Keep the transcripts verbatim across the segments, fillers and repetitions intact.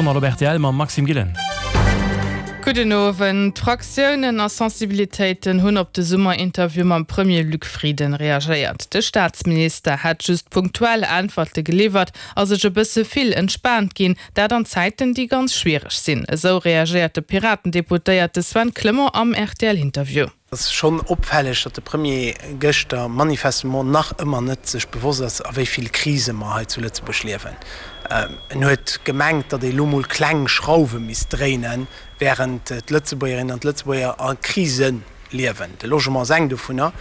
Journal op rtl mam Maxime Gillen. Gudden Owend. D'Fraktiounen a Sensibilitéiten hunn op de Summerinterview mam Premier Luc Frieden reagéiert. De Staatsminister hätt just punktuell Äntwerte geliwwert a sech e bësse vill entspaant ginn, dat an Zäiten, déi ganz schwiereg sinn. Esou reagéiert de Piraten-Deputéierte Sven Clement am RTL-Interview. Et ass schonn opfälleg, datt de Premier gëschter manifestement nach ëmmer net sech bewosst ass, a wéi vill Krise mer hei zu Lëtzebuerg liewen. En huet gemengt, datt ee lo mol kleng Schrauwe misst dréinen, wärend d'Lëtzebuergerinnen an d'Lëtzebuerger a Krise liewen. De Logement ass eng dovunner.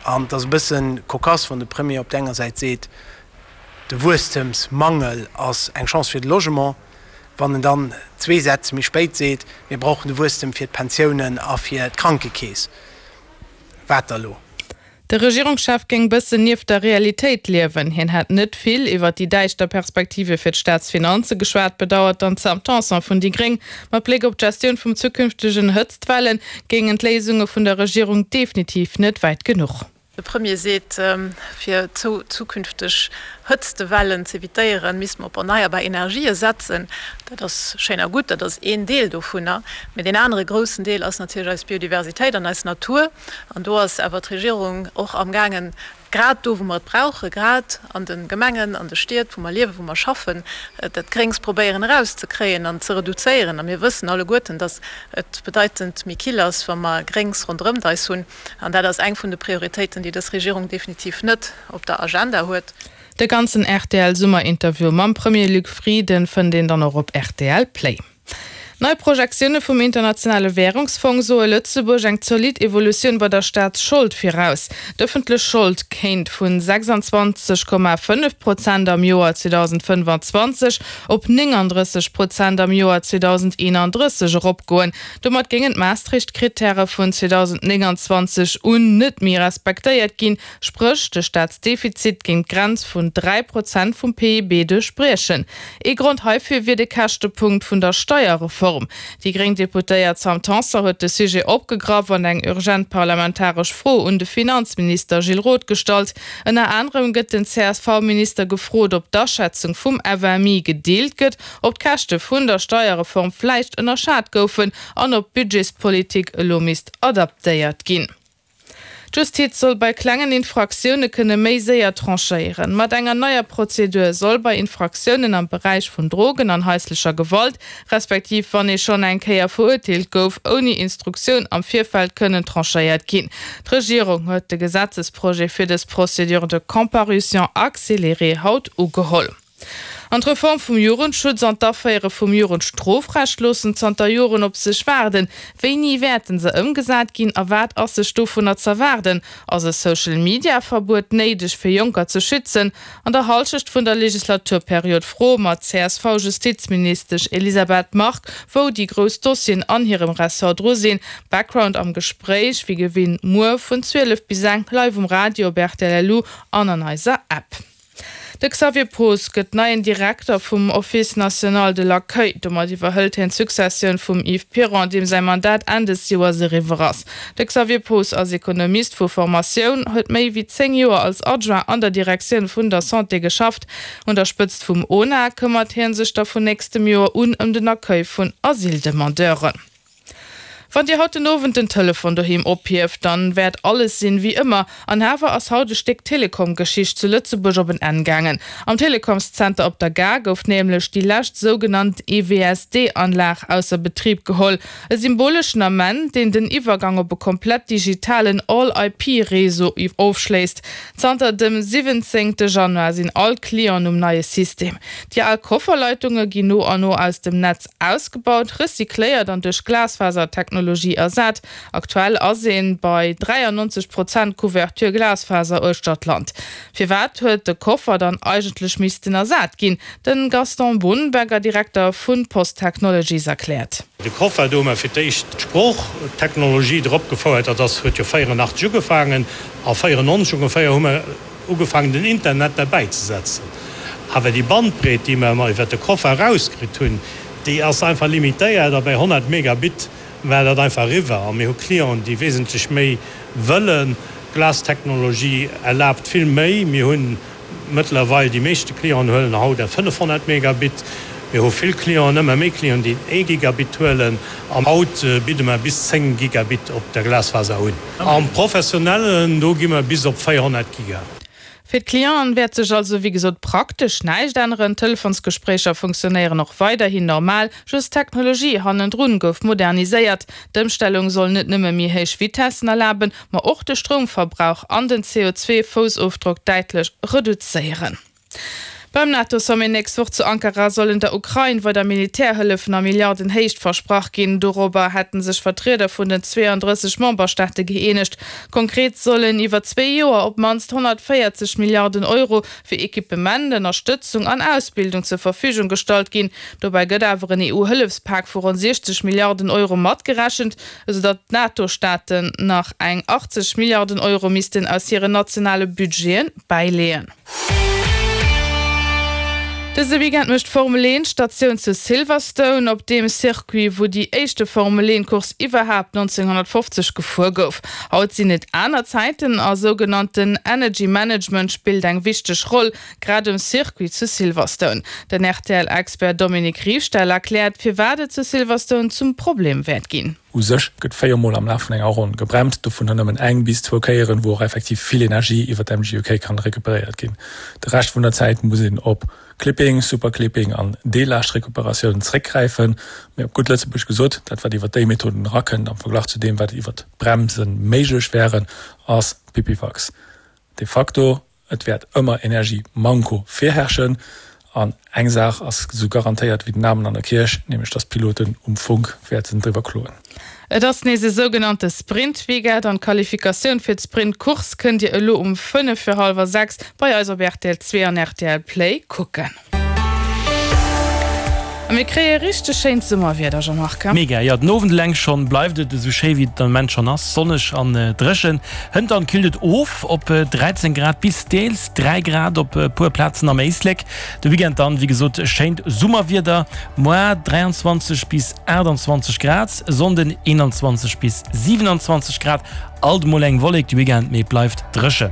An et ass e bësse cocasse, wann de Premier op der enger Säit seet, de Wuesstemsmangel ass eng Chance fir de Logement, wann en dann zwee Sätz méi spéit seet, mir brauchen de Wuesstem fir d'Pensiounen a fir d'Krankekeess. Wat da lo? De Regierungschef géing bëssen nieft der Realitéit liewen. Hien hätt net vill iwwer déi däischter Perspektive fir d'Staatsfinanze geschwat, bedauert dann d'Sam Tanson vun déi Gréng. Mat Bléck op d'Gestioun vum zukünftegen Hëtztwelle géingen d'Léisunge vun der Regierung definitiv net wäit genuch. De Premier seet, fir zukünfteg Hëtztewellen z'evitéieren, misste mer op erneierbar Energië setzen. Dat ass schéin a gutt, dat ass een Deel dovunner. Mee deen anere groussen Deel ass natierlech eis Biodiversitéit an eis Natur. An do ass awer d'Regierung och amgaangen, grad do, wou mer et brauchen, grad an de Gemengen, an de Stied, wou mer liewen, wou mer schaffen, dat Gréngs probéieren erauszekréien an ze reduzéieren. A mir wëssen alleguerten, dass et bedeitend méi kill ass, wa mer Gréngs ronderëmt eis hunn. An dat ass eng vun de Prioritéiten, déi dës Regierung definitiv net op der Agenda huet. De ganzen RTL-Summerinterview mam Premier Luc Frieden fënnt een dann och op rtl Play. Nei Projektioune vum Internationale Wärungsfong soe Lëtzebuerg eng zolidd Evolutioun bei der Staatsschold viraus. D'ëffentlech Schold kéint vu sechsanzwanzeg Komma fënnef Prozent am Joer zweedausendfënnfanzwanzeg op nénganddrësseg Prozent am Joer zweedausendeenanddrësseg eropgoen. Domat géingen d'Maastricht-Krittäre vun zweedausendnénganzwanzeg un net méi respektéiert ginn, spréch de Staatsdefizit géing d'Grenz vun dräi Prozent vum P I B duerchbriechen. Ee Grond heifir wier de Käschtepunkt vun der Steierreform. Déi gréng Deputéiert Sam Tanson huet de Sujet opgegraff an eng urgent parlamentaresch Fro un de Finanzminister Gilles Roth gestallt. Ënner anerem gëtt den C S V-Minister gefrot, ob d'Aschätzung vum F M I gedeelt gëtt, ob d'Käschte vun der Steierreform vläicht ënnerschat goufen an ob d'Budgetspolitik elo misst adaptéiert ginn. D'Justiz soll bei klengen Infraktioune kënne méi séier tranchéieren. Mat enger neier Prozedur soll bei Infraktiounen am Beräich vun Drogen an haislecher Gewalt, respektiv wann ee schonn eng Kéier verurteelt gouf, ouni Instruktioun am Virfeld kënnen tranchéiert ginn. D'Regierung huet de Gesetzesprojet fir dës Procédure de comparution accélérée haut ugeholl. An d'Reform vum Jugendschutz an d'Aféiere vum Jugendstrofrecht loossen zanter Joren op sech waarden. Wéini wäerten se ëmgesat ginn a wat ass sech dovunner z'erwaarden? Ass e Social-Media-Verbuet néideg fir Jonker ze schützen? An der Hallschecht vun der Legislaturperiod froe mer d'C S V-Justizministesch Elisabeth Margue, wou déi grouss Dossieren an hirem Ressort dru sinn. Background am Gespréich wéi gewinnt muer vun zwielef bis eng live um Radio op R T L L U an an eiser App. De Xavier Poos gëtt neien Direkter vum Office national de l'accueil. Domat iwwerhëlt hien d'Successioun vum Yves Piron, deem säi Mandat Enn des Joers eriwwer ass. De Xavier Poos ass Ekonomist vu Formatioun, huet méi wéi zéng Joer als Adjoint an der Direktioun vun der Santé geschafft. Un der Spëtzt vum ONA këmmert hie sech da vun nächstem Joer un ëm den Accueil vun Asyldemandeuren. Wann Dir haut den Owend den Telefon doheem ophieft, dann wäert alles sinn wéi ëmmer. An awer ass haut e Stéck Telekom-Geschicht zu Lëtzebuerg op en Enn gaangen. Am Telekomszenter op der Gare gouf nämlech déi lescht sougenannt E W S D-Anlag ausser Betrib geholl. E symboleschen Ament, deen den Iwwergang op e komplett digitalen All-I P-Réseau ofschléisst. Zanter dem siwwenzéngte Januar sinn all Clienten um neie System. Déi al Kofferleitunge ginn no an no aus dem Netz ausgebaut, recycléiert an duerch Glasfasertechnologie ersat. Aktuell ass ee bei dräiannonzeg Prozent Couverture Glasfaser uechter d'Land. Firwat huet de Koffer dann eigentlech missten ersat ginn? De Gaston Bohnenberger, Direkter vu Post Technologies, erkläert. De Koffer, do hu mer fir d'éischt d'Sproochtechnologie drop gefouert, dat ass huet jo véierunnachteg ugefaangen, a véierannonzeg ongeféier hu mer ugefaangen den Internet derbäi ze setzen. Awer déi Bandbreet, déi mer iwwert de Koffer erauskritt hunn, déi ass einfach limitéiert a bei honnert Megabit war dat einfach eriwwer. A mir hu Clienten, déi wesentlech méi wëllen. D'Glastechnologie erlaabt vill méi. Mir hunn mëttlerweil, déi meeschte Clienten huelen haut der fënnefhonnert Megabit. Mir hu vill Clienten, ëmmer méi Clienten, déi ee Gigabit huelen an haut bidde mer bis zéng Gigabit op der Glasfaser un. Am Professionellen, do gi mer bis op véierhonnert Giga. Fir d'Clienten wäert sech also wéi gesot praktesch näischt änneren. D'Telefonsgespréicher funktionéieren och weiderhin normal, just d'Technologie hannendrun gouf moderniséiert. D'Ëmstellung soll net nëmme méi héich Vitessen erlaben, ma och de Stroumverbrauch an den C O zwei Foussofdrock däitlech reduzéieren. Beim NATO-Sommet nächst Woch zu Ankara sollen der Ukrain weider Militärhëllefen a Milliardenhéicht versprach ginn. Dorobber hätten sech Vertrieder vun den zweiunddrësseg Memberstaate gëeenegt. Konkret sollen iwwer zwee Joer op d'mannst honnertvéierzeg Milliarden Euro fir Equipement, Ënnerstëtzung an Ausbildung zur Verfügung gestallt ginn. Dobäi gëtt awer en E U-Hëllefspak vu ronn siechzeg Milliarden Euro matgerechent, esoudatt d'NATO-Staaten nach eng achtzeg Milliarden Euro missten aus hiren nationale Budgeten bäileeën. Dëse Weekend mécht d'Formel eent Statioun zu Silverstone, op deem Circuit, wou déi éischte Formel eent Course iwwerhaapt neunzehnhundertfofzeg gefuer gouf. Haut sinn et aner Zäiten a sougenannten Energy Management spillt eng wichteg Roll, grad um Circuit zu Silverstone. Den R T L-Expert Dominique Riefstahl erkläert, firwat et zu Silverstone zum Problem wäert ginn. U sech gëtt véiermol am Laf vun enger Ronn gebremst, dovun nëmmen eng bis zwou Kéieren, wou och effektiv vill Energie iwwer d'M G U K kann recuperéiert ginn. De Rescht vun der Zäit muss een op Clipping, Superclipping an Deellaaschtrecuperatioun zréckgräifen. Mee op gutt Lëtzebuerg gesot, dat wat iwwer déi Methoden rakënnt am Verglach zu deem, wat iwwer d'Bremsen méiglech wären, ass Pipifax. De facto, et wäert ëmmer Energiemanko virherrschen. An eng Saach ass so garantéiert wie den Namen an der Kirch, nämlech dass Piloten um Funk wäerten driwwer kloen. Et ass nees e sougenannte Sprint-Weekend an d'Qualifikatioun fir d'Sprint-Course kënnt Dir elo um fënnef fir hallwer sechs bei eis op R T L zwee an R T L Play kucken. A mir kréie richteg schéint Summerwieder, Jean-Marc. Mega, ja, den Owend eleng schonn bleift et esou schéi wéi et am Moment schonn ass, sonneg an, äh, dréchen. Hënt dann killt et of op, äh, dreizéng Grad bis deels dräi Grad op, äh, puer Plazen am Éislek. De Weekend dann, wéi gesot, schéint Summerwieder, moar dräianzwanzeg bis aachtanzwanzeg Grad, Sonnden eenanzwanzeg bis siewenanzwanzeg Grad, alt mol eng Wollek de Weekend, mee bleift dréchen.